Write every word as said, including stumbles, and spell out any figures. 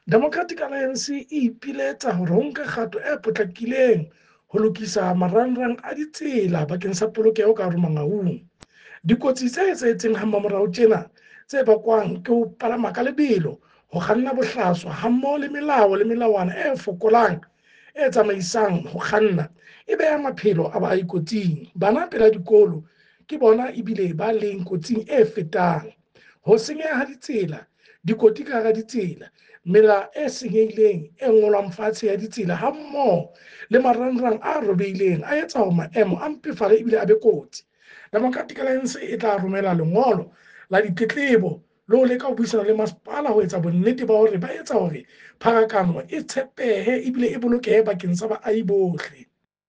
Democratic Alliance e ipiletsa hore ho nke kgato e potlakileng ho lokisa marangrang a ditsela bakeng sa polokeho ka hare Mangaung. Dikotsi tse etsahetseng ha mmamorao tjena tse bakwang ke ho palama ka lebelo, ho kganna bohlaswa hammoho le melao le melawana e fokolang e tsamaisang ho kganna e beha maphelo a baahi kotsing. Bana pela dikolo ke bona ebile ba leng kotsing e fetang. Ho senyeha ha ditsela, dikoti ka hara ditsela, mela e senyehileng e ngolwang fatshe ya ditsela hammoho le marangrang a robehileng a etsa hore maemo a mpefale ebile a be kotsi. Democratic Alliance e tla romela lengolo la ditletlebo le ho leka ho buisana le masepala ho etsa bonnete ba hore ba etsa hore pharakano e tshepehe ebile e bolokehe bakeng sa baahi bohle.